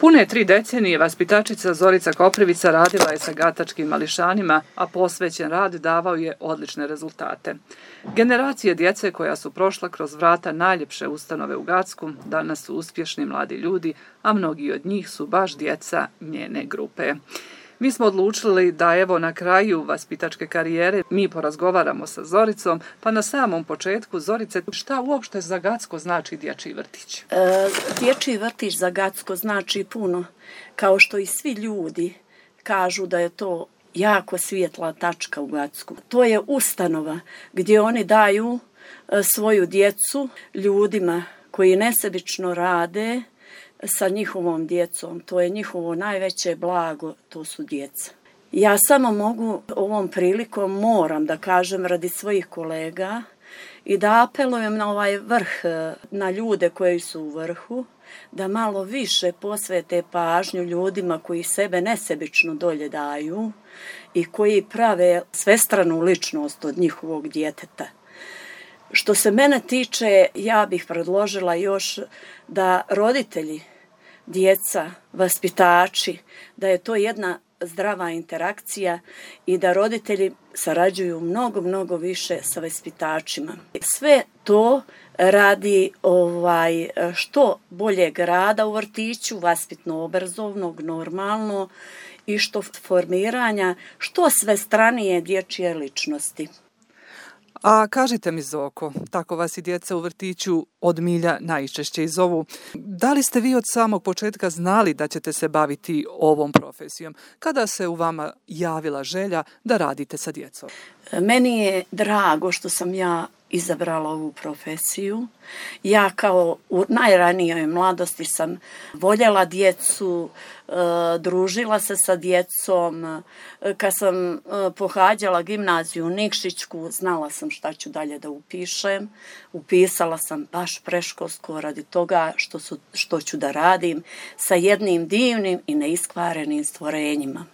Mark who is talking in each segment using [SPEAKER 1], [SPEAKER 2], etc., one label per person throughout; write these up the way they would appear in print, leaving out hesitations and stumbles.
[SPEAKER 1] Pune 3 decenije vaspitačica Zorica Koprivica radila je sa gatačkim mališanima, a posvećen rad davao je odlične rezultate. Generacije djece koja su prošla kroz vrata najljepše ustanove u Gacku danas su uspješni mladi ljudi, a mnogi od njih su baš djeca njene grupe. Mi smo odlučili da evo na kraju vaspitačke karijere mi porazgovaramo sa Zoricom, pa na samom početku, Zorice, šta uopšte za Gacko znači dječji vrtić?
[SPEAKER 2] Dječji vrtić za Gacko znači puno, kao što i svi ljudi kažu da je to jako svijetla tačka u Gacku. To je ustanova gdje oni daju svoju djecu ljudima koji nesebično rade sa njihovom djecom. To je njihovo najveće blago, to su djeca. Ja samo mogu ovom prilikom moram da kažem radi svojih kolega i da apelujem na ovaj vrh, na ljude koji su u vrhu, da malo više posvete pažnju ljudima koji sebe nesebično dolje daju i koji prave svestranu ličnost od njihovog djeteta. Što se mene tiče, ja bih predložila još da roditelji, djeca, vaspitači, da je to jedna zdrava interakcija i da roditelji sarađuju mnogo više sa vaspitačima. Sve to radi što boljeg rada u vrtiću, vaspitno-obrazovnog, normalno, i što formiranja što svestranije dječje ličnosti.
[SPEAKER 1] A kažite mi, Zoko, tako vas i djeca u vrtiću od milja najčešće i zovu. Da li ste vi od samog početka znali da ćete se baviti ovom profesijom? Kada se u vama javila želja da radite sa djecom?
[SPEAKER 2] Meni je drago što sam ja izabrala ovu profesiju. Ja kao u najranijoj mladosti sam voljela djecu, družila se sa djecom. Kad sam pohađala gimnaziju Nikšićku, znala sam šta ću dalje da upišem. Upisala sam baš preškolsko radi toga što ću da radim sa jednim divnim i neiskvarenim stvorenjima.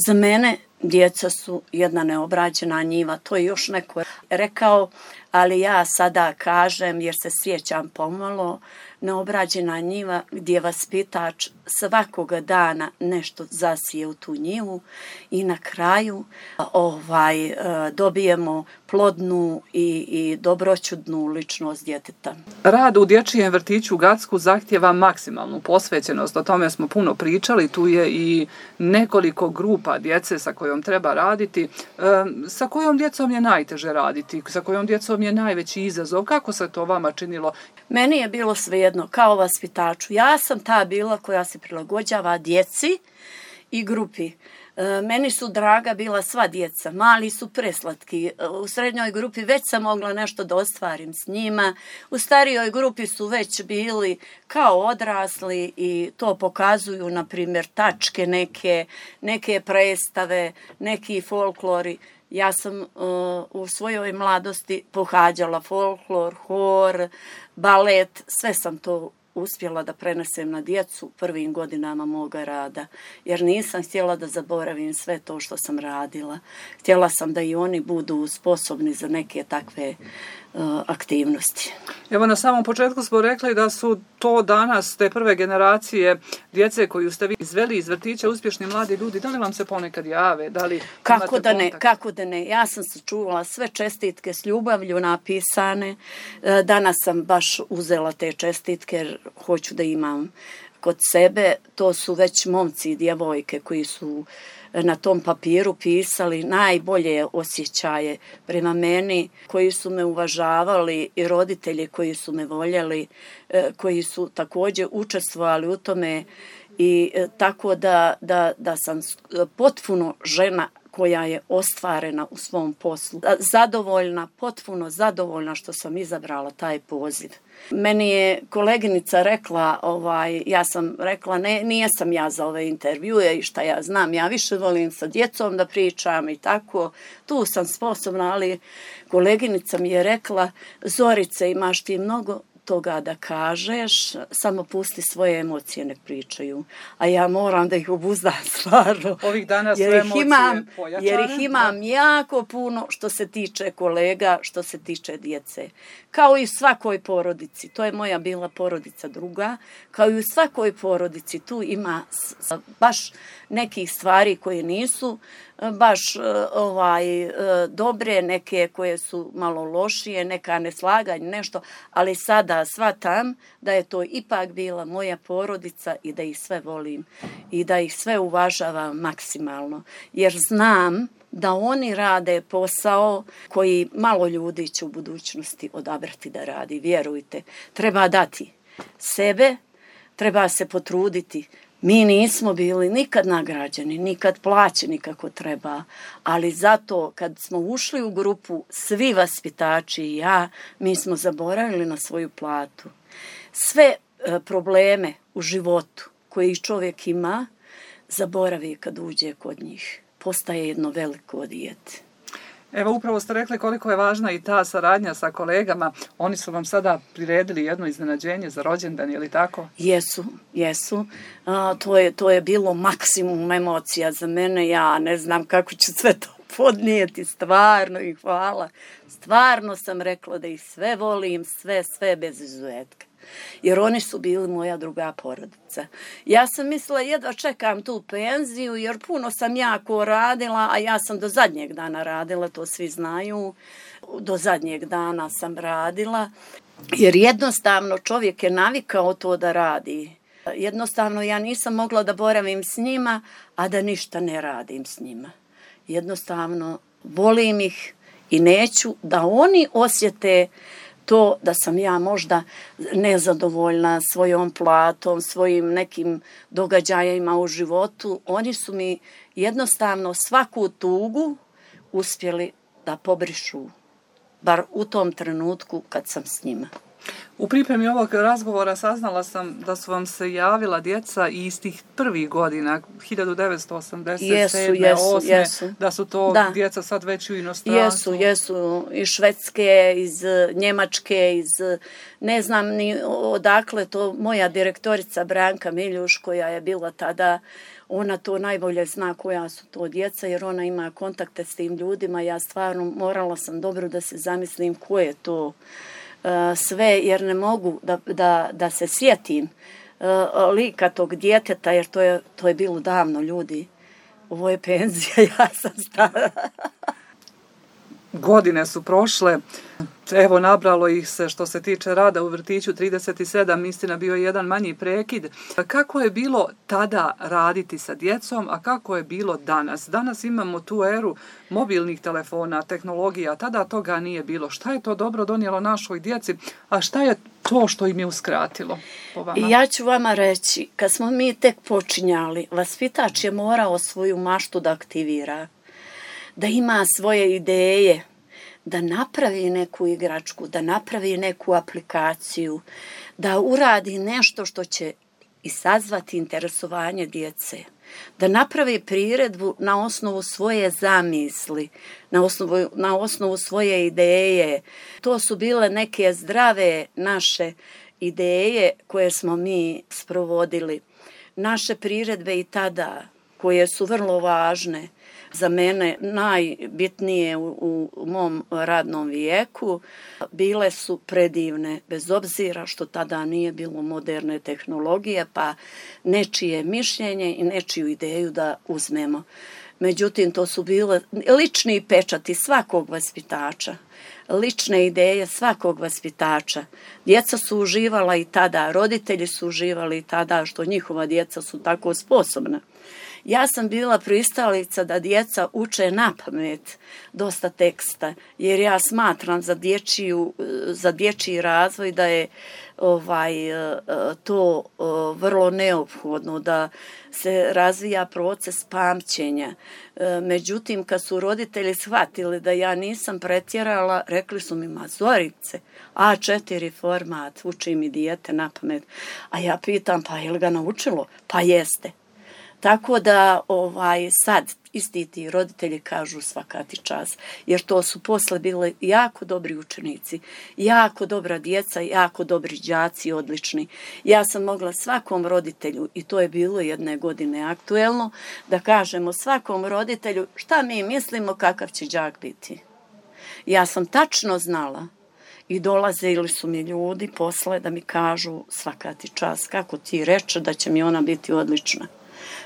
[SPEAKER 2] Za mene djeca su jedna neobrađena njiva, to je još neko rekao, ali ja sada kažem jer se sjećam pomalo, neobrađena njiva gdje vaspitač svakoga dana nešto zasije u tu njivu i na kraju dobijemo plodnu i dobroćudnu ličnost djeteta.
[SPEAKER 1] Rad u dječjem vrtiću u Gacku zahtjeva maksimalnu posvećenost, o tome smo puno pričali, tu je i nekoliko grupa djece sa kojom treba raditi. Sa kojom djecom je najteže raditi? Sa kojom djecom je najveći izazov? Kako se to vama činilo?
[SPEAKER 2] Meni je bilo svejedno, kao vaspitaču. Ja sam ta bila koja se prilagođava djeci i grupi. Meni su draga bila sva djeca, mali su preslatki. U srednjoj grupi već sam mogla nešto da ostvarim s njima. U starijoj grupi su već bili kao odrasli i to pokazuju, na primjer, tačke neke predstave, neki folklori. Ja sam u svojoj mladosti pohađala folklor, hor, balet, sve sam to uspjela da prenesem na djecu prvim godinama moga rada, jer nisam htjela da zaboravim sve to što sam radila. Htjela sam da i oni budu sposobni za neke takve aktivnosti.
[SPEAKER 1] Evo, na samom početku smo rekli da su to danas te prve generacije djece koju ste vi izveli iz vrtića uspješni mladi ljudi. Da li vam se ponekad jave?
[SPEAKER 2] Kako da ne. Ja sam sačuvala sve čestitke s ljubavlju napisane. Danas sam baš uzela te čestitke jer hoću da imam kod sebe. To su već momci i djevojke koji su na tom papiru pisali najbolje osjećaje prema meni, koji su me uvažavali, i roditelji koji su me voljeli, koji su također učestvovali u tome, i tako da sam potpuno žena koja je ostvarena u svom poslu. Zadovoljna, potpuno zadovoljna što sam izabrala taj poziv. Meni je koleginica rekla, ja sam rekla, nisam ja za ove intervjue i šta ja znam, ja više volim sa djecom da pričam i tako, tu sam sposobna, ali koleginica mi je rekla, Zorice, imaš ti mnogo toga da kažeš, samo pusti svoje emocije, nek pričaju. A ja moram da ih obuzdam stvarno.
[SPEAKER 1] Ovih dana sve emocije pojačane.
[SPEAKER 2] Jer ih imam jako puno što se tiče kolega, što se tiče djece. Kao i u svakoj porodici. To je moja bila porodica druga. Kao i u svakoj porodici tu ima baš nekih stvari koje nisu baš dobre, neke koje su malo lošije, neka neslaganja, nešto, ali sada shvatam da je to ipak bila moja porodica i da ih sve volim i da ih sve uvažavam maksimalno. Jer znam da oni rade posao koji malo ljudi će u budućnosti odabrati da radi. Vjerujte, treba dati sebe, treba se potruditi. Mi nismo bili nikad nagrađeni, nikad plaćeni kako treba, ali zato kad smo ušli u grupu, svi vaspitači i ja, mi smo zaboravili na svoju platu. Sve probleme u životu koje čovjek ima, zaboravi kad uđe kod njih. Postaje jedno veliko dijete.
[SPEAKER 1] Evo, upravo ste rekli koliko je važna i ta saradnja sa kolegama. Oni su vam sada priredili jedno iznenađenje za rođendan, je li tako?
[SPEAKER 2] Jesu. To je bilo maksimum emocija za mene. Ja ne znam kako ću sve to podnijeti. Stvarno ih hvala. Stvarno sam rekla da ih sve volim, sve bez izuzetka. Jer oni su bili moja druga porodica. Ja sam mislila jedva čekam tu penziju jer puno sam jako radila, a ja sam do zadnjeg dana radila, to svi znaju. Do zadnjeg dana sam radila jer jednostavno čovjek je navikao to da radi. Jednostavno ja nisam mogla da boravim s njima, a da ništa ne radim s njima. Jednostavno volim ih i neću da oni osjete to da sam ja možda nezadovoljna svojom platom, svojim nekim događajima u životu. Oni su mi jednostavno svaku tugu uspjeli da pobrišu, bar u tom trenutku kad sam s njima.
[SPEAKER 1] U pripremi ovog razgovora saznala sam da su vam se javila djeca iz tih prvih godina, 1987. 8. Da su to djeca sad već u inostranstvu.
[SPEAKER 2] Jesu. Iz Švedske, iz Njemačke, iz ne znam ni odakle to. Moja direktorica Branka Miljuš koja je bila tada, ona to najbolje zna koja su to djeca jer ona ima kontakte s tim ljudima. Ja stvarno morala sam dobro da se zamislim ko je to sve jer ne mogu da se sjetim lika tog djeteta jer to je bilo davno ljudi. Ovo je penzija, ja sam stara.
[SPEAKER 1] Godine su prošle, evo nabralo ih se što se tiče rada u vrtiću 37, istina bio je jedan manji prekid. Kako je bilo tada raditi sa djecom, a kako je bilo danas? Danas imamo tu eru mobilnih telefona, tehnologija, tada toga nije bilo. Šta je to dobro donijelo našoj djeci, a šta je to što im je uskratilo po vama?
[SPEAKER 2] Ja ću vama reći, kad smo mi tek počinjali, vaspitač je morao svoju maštu da aktivira, da ima svoje ideje, da napravi neku igračku, da napravi neku aplikaciju, da uradi nešto što će izazvati interesovanje djece, da napravi priredbu na osnovu svoje zamisli, na osnovu svoje ideje. To su bile neke zdrave naše ideje koje smo mi sprovodili. Naše priredbe i tada, koje su vrlo važne, za mene najbitnije u mom radnom vijeku, bile su predivne, bez obzira što tada nije bilo moderne tehnologije, pa nečije mišljenje i nečiju ideju da uzmemo. Međutim, to su bile lični pečati svakog vaspitača, lične ideje svakog vaspitača. Djeca su uživala i tada, roditelji su uživali i tada što njihova djeca su tako sposobna. Ja sam bila pristalica da djeca uče napamet dosta teksta, jer ja smatram za dječji razvoj da je to vrlo neophodno, da se razvija proces pamćenja. Međutim, kad su roditelji shvatili da ja nisam pretjerala, rekli su mi, ma Zorice, A4 format, uči mi dijete napamet. A ja pitam, pa je li ga naučilo? Pa jeste. Tako da sad isti ti roditelji kažu svaka ti čast, jer to su posle bili jako dobri učenici, jako dobra djeca, jako dobri đaci, odlični. Ja sam mogla svakom roditelju, i to je bilo jedne godine aktuelno, da kažemo svakom roditelju šta mi mislimo kakav će đak biti. Ja sam tačno znala i dolazili su mi ljudi posle da mi kažu svaka ti čast, kako ti reče da će mi ona biti odlična.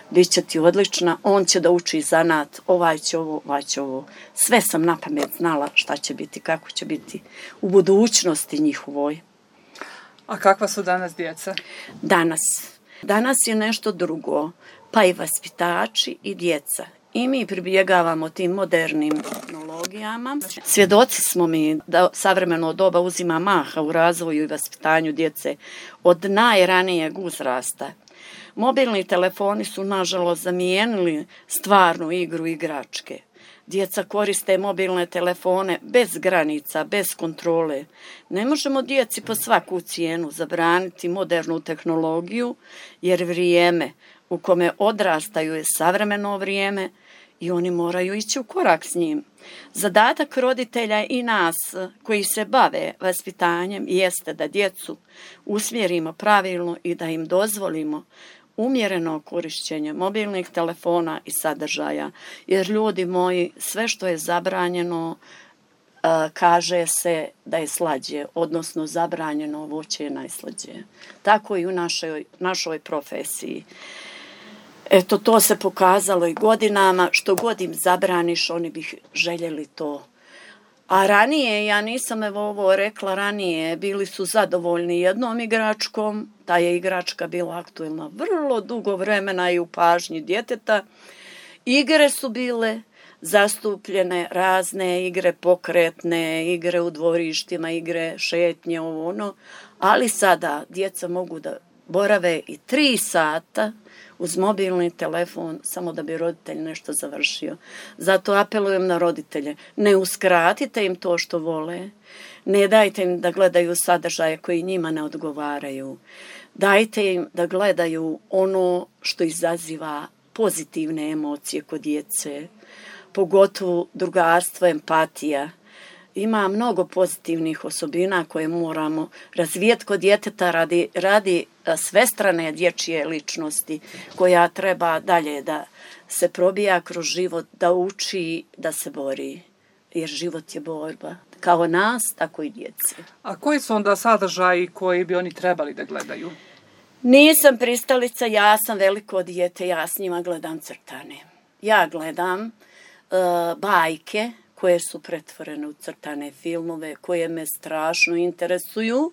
[SPEAKER 2] Biće ti odlična, on će da uči zanat, ovaj će ovo, ovaj će ovo. Sve sam na pamet znala šta će biti, kako će biti u budućnosti njihovoj.
[SPEAKER 1] A kakva su danas djeca?
[SPEAKER 2] Danas je nešto drugo, pa i vaspitači i djeca. I mi pribjegavamo tim modernim tehnologijama. Svjedoci smo mi da savremeno doba uzima maha u razvoju i vaspitanju djece od najranijeg uzrasta. Mobilni telefoni su, nažalost, zamijenili stvarnu igru igračke. Djeca koriste mobilne telefone bez granica, bez kontrole. Ne možemo djeci po svaku cijenu zabraniti modernu tehnologiju, jer vrijeme u kome odrastaju je savremeno vrijeme i oni moraju ići u korak s njim. Zadatak roditelja i nas koji se bave vaspitanjem jeste da djecu usmjerimo pravilno i da im dozvolimo umjereno korištenje mobilnih telefona i sadržaja, jer ljudi moji, sve što je zabranjeno kaže se da je slađe, odnosno zabranjeno voće je najslađe. Tako i u našoj profesiji. Eto, to se pokazalo i godinama, što god im zabraniš, oni bi željeli to. A ranije, ja nisam ovo rekla ranije, bili su zadovoljni jednom igračkom, ta je igračka bila aktuelna vrlo dugo vremena i u pažnji djeteta. Igre su bile zastupljene, razne igre pokretne, igre u dvorištima, igre šetnje, ali sada djeca mogu da borave i 3 sata uz mobilni telefon, samo da bi roditelj nešto završio. Zato apelujem na roditelje, ne uskratite im to što vole, ne dajte im da gledaju sadržaje koji njima ne odgovaraju, dajte im da gledaju ono što izaziva pozitivne emocije kod djece, pogotovo drugarstvo, empatija. Ima mnogo pozitivnih osobina koje moramo razvijeti kod djeteta radi svestrane dječje ličnosti koja treba dalje da se probija kroz život, da uči, da se bori. Jer život je borba. Kao nas, tako i djece.
[SPEAKER 1] A koji su onda sadržaji koji bi oni trebali da gledaju?
[SPEAKER 2] Nisam pristalica, ja sam veliko dijete, ja s njima gledam crtane. Ja gledam bajke koje su pretvorene u crtane filmove, koje me strašno interesuju,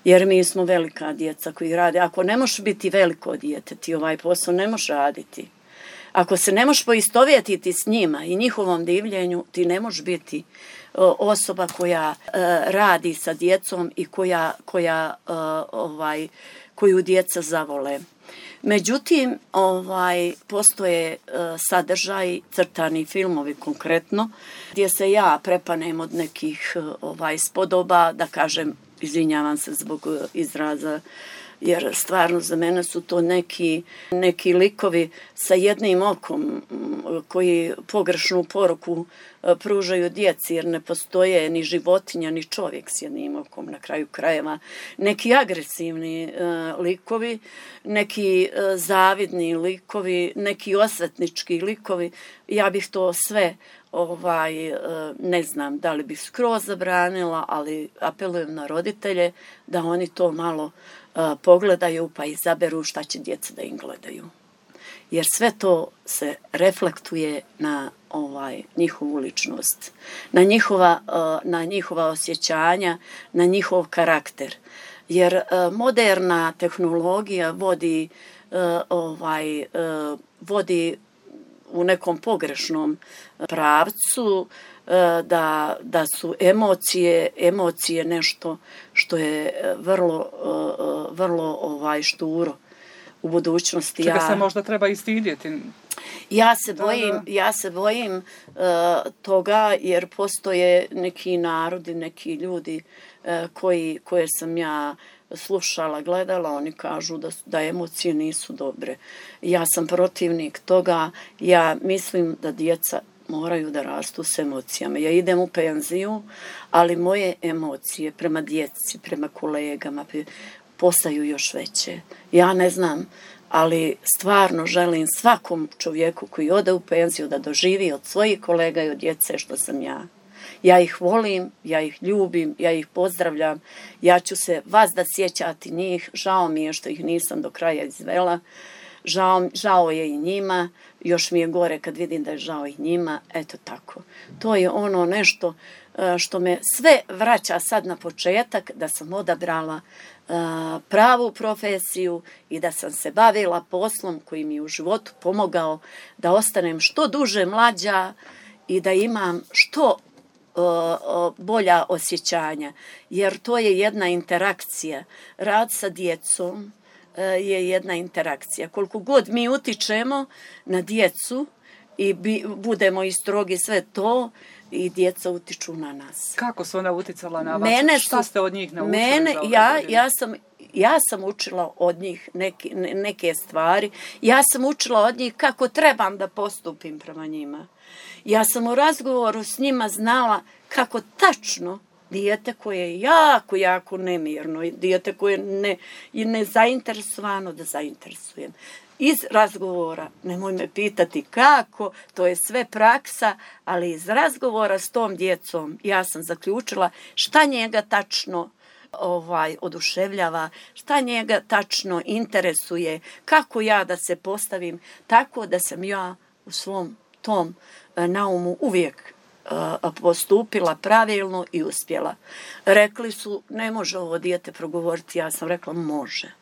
[SPEAKER 2] jer mi smo velika djeca koji rade. Ako ne možeš biti veliko dijete, ti ovaj posao ne možeš raditi. Ako se ne možeš poistovjetiti s njima i njihovom divljenju, ti ne možeš biti osoba koja radi sa djecom i koju djeca zavole. Međutim, postoje sadržaj, crtani filmovi konkretno, gdje se ja prepanem od nekih spodoba, da kažem, izvinjavam se zbog izraza, jer stvarno za mene su to neki likovi sa jednim okom koji pogrešnu poruku pružaju djeci, jer ne postoje ni životinja ni čovjek s jednim okom na kraju krajeva. Neki agresivni likovi, neki zavidni likovi, neki osvetnički likovi. Ja bih to sve ne znam da li bih skroz zabranila, ali apelujem na roditelje da oni to malo pogledaju pa izaberu šta će djeca da im gledaju. Jer sve to se reflektuje na njihovu ličnost, na njihova osjećanja, na njihov karakter. Jer moderna tehnologija vodi u nekom pogrešnom pravcu, da su emocije nešto što je vrlo šturo u budućnosti.
[SPEAKER 1] Čega se možda treba i stidjeti.
[SPEAKER 2] Ja se bojim toga, jer postoje neki narodi, neki ljudi koje sam ja slušala, gledala, oni kažu da emocije nisu dobre. Ja sam protivnik toga, ja mislim da djeca moraju da rastu s emocijama. Ja idem u penziju, ali moje emocije prema djeci, prema kolegama postaju još veće. Ja ne znam, ali stvarno želim svakom čovjeku koji ode u penziju da doživi od svojih kolega i od djece što sam ja. Ja ih volim, ja ih ljubim, ja ih pozdravljam, ja ću se vas da sjećati njih, žao mi je što ih nisam do kraja izvela, žao je i njima, još mi je gore kad vidim da je žao i njima, eto tako. To je ono nešto što me sve vraća sad na početak, da sam odabrala pravu profesiju i da sam se bavila poslom koji mi je u životu pomogao da ostanem što duže mlađa i da imam što bolja osjećanja, jer to je jedna interakcija. Rad sa djecom je jedna interakcija. Koliko god mi utičemo na djecu i budemo i strogi sve to, i djeca utiču na nas.
[SPEAKER 1] Kako su ona uticala na vas? Šta ste od njih naučili?
[SPEAKER 2] Ja sam učila od njih neke stvari. Ja sam učila od njih kako trebam da postupim prema njima. Ja sam u razgovoru s njima znala kako tačno dijete koje je jako nemirno, dijete koje je nezainteresovano da zainteresujem. Iz razgovora, nemoj me pitati kako, to je sve praksa, ali iz razgovora s tom djecom ja sam zaključila šta njega tačno oduševljava, šta njega tačno interesuje, kako ja da se postavim, tako da sam ja u svom tom naumu uvijek postupila pravilno i uspjela. Rekli su, ne može ovo dijete progovoriti, ja sam rekla, može.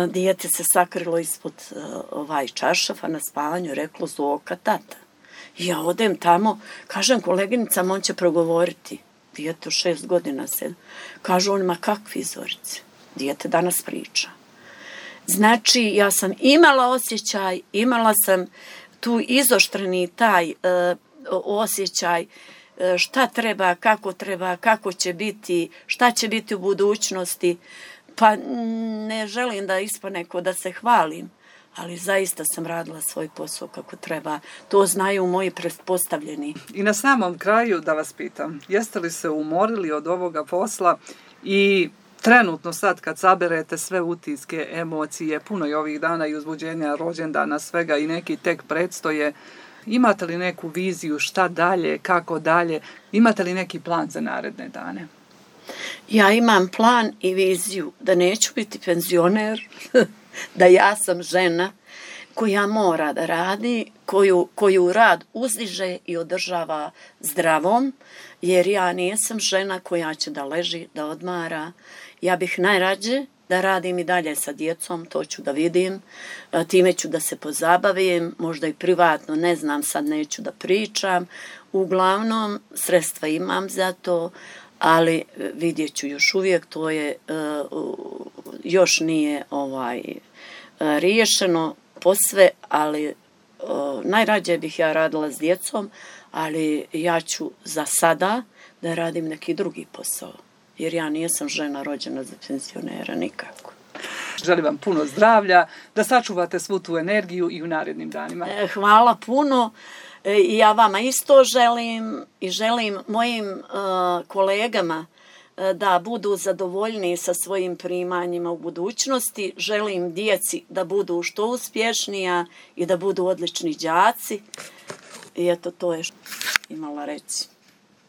[SPEAKER 2] Dijete se sakrilo ispod čaršafa na spavanju, reklo Zoka, tata. Ja odem tamo, kažem koleginicama, on će progovoriti. Dijete 6 godina se. Kažu on, ma kakvi Zorice? Dijete danas priča. Znači, ja sam imala osjećaj, imala sam tu izoštreni taj osjećaj šta treba, kako će biti, šta će biti u budućnosti. Pa ne želim da ispane ko da se hvalim, ali zaista sam radila svoj posao kako treba. To znaju moji pretpostavljeni.
[SPEAKER 1] I na samom kraju da vas pitam, jeste li se umorili od ovoga posla i trenutno sad kad saberete sve utiske, emocije, puno je ovih dana i uzbuđenja, rođendana, svega i neki tek predstoje, imate li neku viziju šta dalje, kako dalje, imate li neki plan za naredne dane?
[SPEAKER 2] Ja imam plan i viziju da neću biti penzioner, da ja sam žena koja mora da radi, koju rad uzdiže i održava zdravom, jer ja nisam žena koja će da leži, da odmara. Ja bih najrađe da radim i dalje sa djecom, to ću da vidim, time ću da se pozabavim, možda i privatno, ne znam, sad neću da pričam. Uglavnom, sredstva imam za to, ali vidjet ću još uvijek, to je, još nije riješeno posve, ali najrađe bih ja radila s djecom, ali ja ću za sada da radim neki drugi posao, jer ja nisam žena rođena za penzionera nikako.
[SPEAKER 1] Želim vam puno zdravlja, da sačuvate svu tu energiju i u narednim danima.
[SPEAKER 2] Hvala puno. Ja vama isto želim i želim mojim kolegama da budu zadovoljni sa svojim primanjima u budućnosti. Želim djeci da budu što uspješnija i da budu odlični đaci. I eto, to je što imala reći.